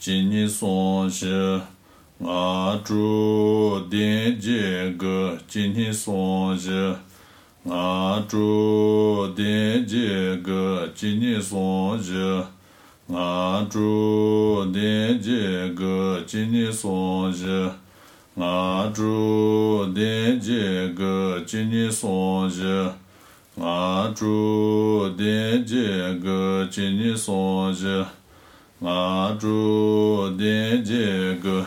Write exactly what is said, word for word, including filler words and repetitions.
今日松日我主的这个今日松日我主的这个今日松日我主的这个今日松日我主的这个今日松日我主的这个今日松日我主的这个